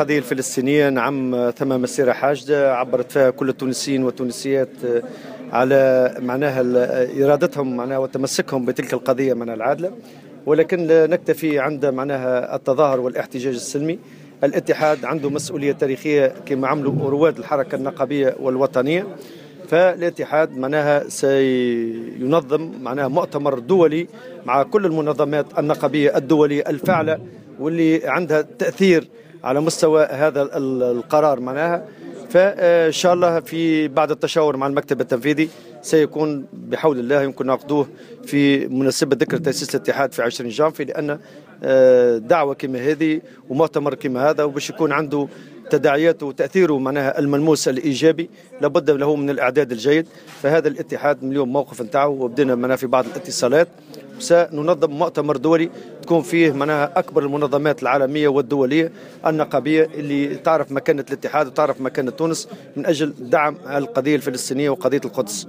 للقضية الفلسطينية، نعم ثم مسيرة حاشدة عبرت فيها كل التونسيين والتونسيات على معناها إرادتهم معناها وتمسكهم بتلك القضية معناها العادلة، ولكن لا نكتفي عند معناها التظاهر والاحتجاج السلمي. الاتحاد عنده مسؤولية تاريخية كما عملوا رواد الحركة النقابية والوطنية، فالاتحاد معناها سينظم معناها مؤتمر دولي مع كل المنظمات النقابية الدولية الفاعلة واللي عندها تأثير على مستوى هذا القرار معناها. فإن شاء الله في بعد التشاور مع المكتب التنفيذي سيكون بحول الله يمكن نعقدوه في مناسبة ذكرى تأسيس الاتحاد في 20 جانفي، لأن دعوة كما هذه ومؤتمر كما هذا وباش يكون عنده تداعياته وتأثيره معناها الملموس الإيجابي لابد له من الإعداد الجيد. فهذا الاتحاد من اليوم موقف نتاعه وبدنا معناها في بعض الاتصالات سننظم مؤتمر دولي تكون فيه معناها أكبر المنظمات العالمية والدولية النقابية اللي تعرف مكانة الاتحاد وتعرف مكانة تونس من أجل دعم القضية الفلسطينية وقضية القدس.